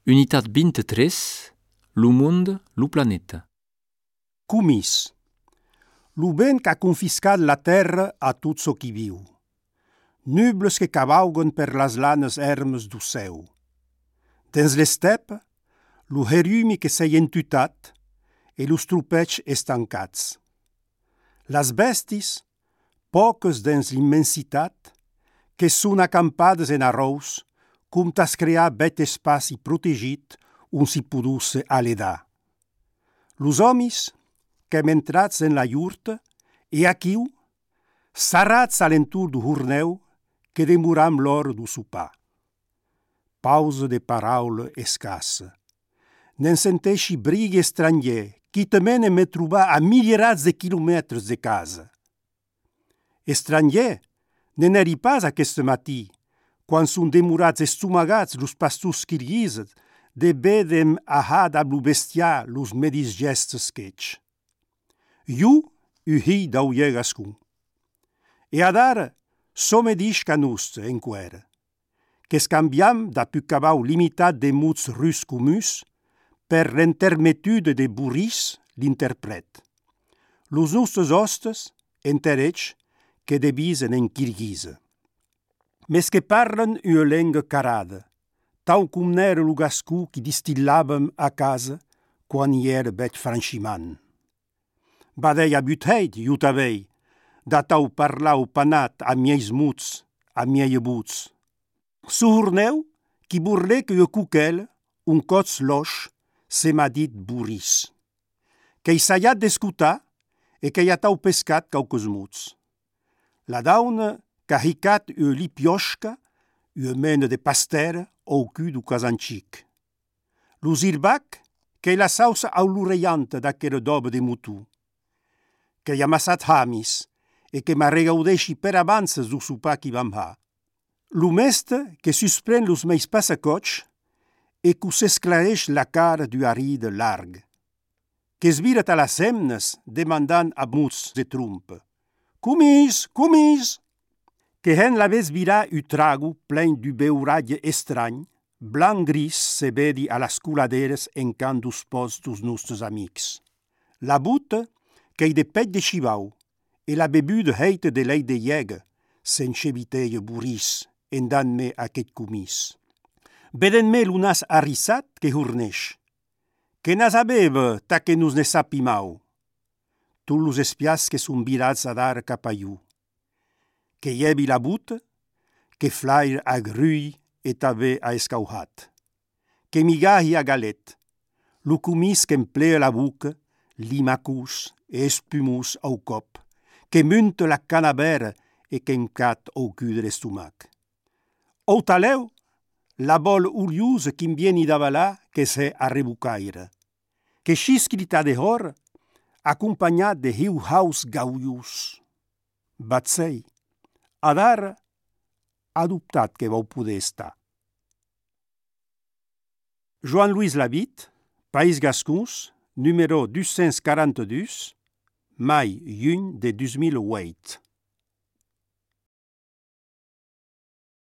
Unitat 23, lo monde, lo planeta. Comis. Lo vent qu'a confiscat la terra a tot çò qui viu. Nubles que cavauguen per las lanes ermes do céu. Dins l'estep, lo herumi que s'ei entutat e los trupets estancats. Las bestis, poques dins l'immensitat, que són acampades en arròs, com tas crear bet espaci protegit on si podusse aledar. Los homis, que hem entrats en la iurta, e aquiu, sarrats a l'entur do horneu, que demoram l'hora do sopar. Pausa de paraula escassa. N'en senteixi brighi estrangier, qui temene me trobar a milierats de quilomètres de casa. Estrangier, ne n'eri pas aquest matí, quan són demorats estomagats los pastors kirguises, de bedem ahad a lo bestiar los medis gestes quech. Iu uhi d'auier gascun. E adara, some dish canuste en quera, que scambiam da pu cabau limitat de muts rus comus per l'intermetude de buris l'interpret. Los nostres hostes, enterech, que debisen en kirguise. Mes que parlen una lenga carada, tau cum n'era lo gascú qui distillàvem a casa quan hi era bet franchimant. Badei abutheit, iutavei, da tau parlau panat a mieis muts, a miei buts. Suhurneu, qui burle que cuquel, un cots loch, se m'a dit buris. Qu'ei saiat d'escutar e qu'ei a tau pescat cauques muts. La dauna qu'a hicat ua lipioshka, ua mena de pastera au cul du casancic. Lo zirbac, qu'ei la sausa aulureianta d'aquera doba de mutu. Qu'ei amassat hamis e que m'arregaudeixi per avances du sopar qui vam ha. Lo meste que suspren los meis passacots e qu'u s'esclareix la cara du aride larg. Qu'es virat a las semnes demandant a muts de trumpe. Comis, comis! Que hen l'avès virar u trago plein du beuratge estrany, blanc-gris se vedi a las culaderes en can dos pos dos nostres amics. La buta, qu'ei de pet de chivau, e la bebuda heite de lei de llega, s'encheviteia buris, en dan-me aquest comis. Veden-me l'unas arrissat que hurneix. Que nas abeva ta que nos ne sapimau. Tous los espias que son virats a dar cap a iu. Que llevi la buta, que flair a grui e també a escauhat. Que migahi a galet, lo comis que emplea la buca, limacus e espumus au cop, que munte la canabera e que emcat au cul de l'estomac. Au taleu, la bol uriosa qui vieni d'avalar que se arrebucaire, que xiscrita de hor, acompanyat de hiu-haus gauius. Batzei, adar adoptat que vau poder estar. Joan-Louis Labitte, País Gascons, numéro 242, mai juny de 2008.